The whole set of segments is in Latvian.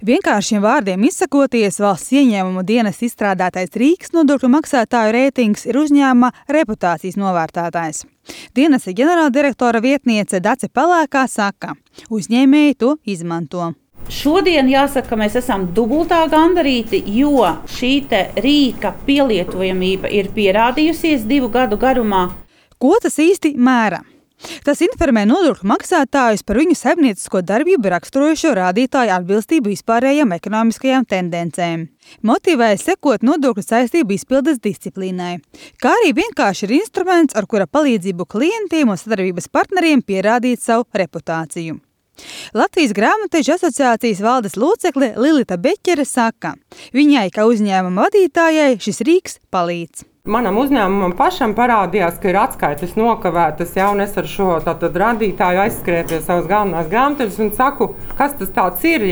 Vienkāršiem vārdiem izsakoties, valsts ieņēmumu dienas izstrādātais Rīgas nodokļu maksātāju reitings ir uzņēmuma reputācijas novērtētājs. Dienesta ģenerāldirektora vietniece Dace Pelēkā saka, uzņēmēji to izmanto. Šodien jāsaka, ka mēs esam dubultā gandarīti, jo šī rīka pielietojamība ir pierādījusies 2 gadu garumā. Ko tas īsti mēra? Tas informē nodokļu maksātājus par viņu saimniecisko darbību raksturojošo rādītāju atbilstību vispārējām ekonomiskajām tendencēm. Motivē sekot nodokļu saistību izpildes disciplīnai, kā arī vienkārši ir instruments, ar kura palīdzību klientiem un sadarbības partneriem pierādīt savu reputāciju. Latvijas grāmatvežu asociācijas valdes locekle Lilita Beķere saka, viņai, kā uzņēmuma vadītājai, šis rīks palīdz. Manam uzņēmumam pašam parādījās, ka ir atskaites nokavētas, un es ar šo rādītāju aizskrēju pie savas galvenās grāmatvežas un saku, kas tas tāds ir,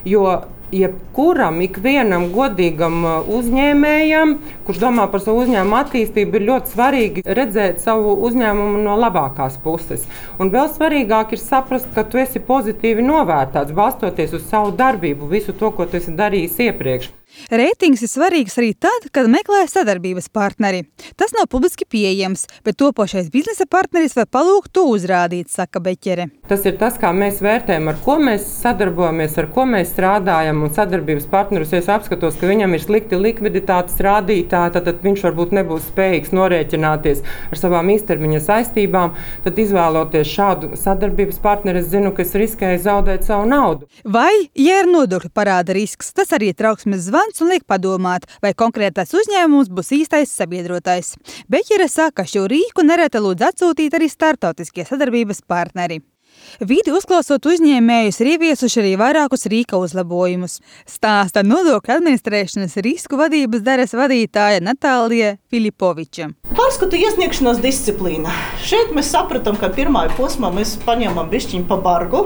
jo jebkuram, ikvienam godīgam uzņēmējam, kurš domā par savu uzņēmumu attīstību, ir ļoti svarīgi redzēt savu uzņēmumu no labākās puses. Un vēl svarīgāk ir saprast, ka tu esi pozitīvi novērtēts, balstoties uz savu darbību, visu to, ko tu esi darījis iepriekš. Reitings ir svarīgs arī tad, kad meklē sadarbības partneri. Tas nav publiski pieejams, bet topošais biznesa partneris var palūgt to uzrādīt, saka Beķere. Tas ir tas, kā mēs vērtējam, ar ko mēs sadarbojamies, ar ko mēs strādājam, un sadarbības partnerus, ja es apskatos, ka viņam ir slikti likviditātes rādītāji, tad viņš varbūt nebūs spējīgs norēķināties ar savām īstermiņa saistībām, tad izvēloties šādu sadarbības partneri, es zinu, ka es riskēju zaudēt savu naudu. Vai, ja ir nodokļu parāda risks, tas arī ir trauksmes zvans un liek padomāt, vai konkrētais uzņēmums būs īstais sabiedrotais. Beķere saka, ka šo rīku nereti lūdz atsūtīt arī starptautiskie sadarbības partneri. Vidi uzklausot uzņēmējus ir ieviesuši arī vairākus rīka uzlabojumus. Stāsta nodokļu administrēšanas risku vadības daļas vadītāja Natālija Filipoviča. Pārskatu iesniegšanas disciplīna. Šeit mēs sapratām, ka pirmā posmā mēs paņemam bišķiņu pa bargu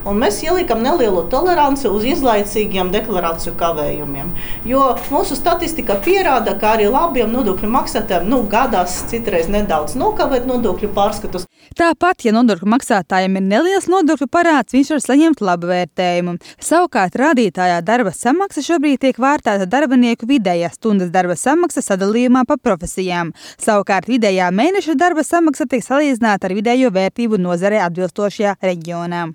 un mēs ielikam nelielu toleranci uz izlaicīgiem deklarāciju kavējumiem. Jo mūsu statistika pierāda, ka arī labiem nodokļu maksātājiem gadās citreiz nedaudz nokavēt nodokļu pārskatus. Tāpat, ja nodokļu maksātājiem ir neliels nodokļu parāds, viņš var saņemt labu vērtējumu. Savukārt rādītājā darba samaksa šobrīd tiek vērtēta darbinieku vidējā stundas darba samaksa sadalījumā pa profesijām. Savukārt vidējā mēneša darba samaksa tiek salīdzināta ar vidējo vērtību nozarē atbilstošajā reģionā.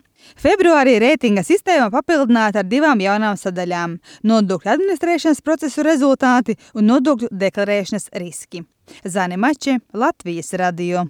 Februārī reitinga sistēma papildināta ar 2 jaunām sadaļām – nodokļu administrēšanas procesu rezultāti un nodokļu deklarēšanas riski. Zane Mače, Latvijas radio.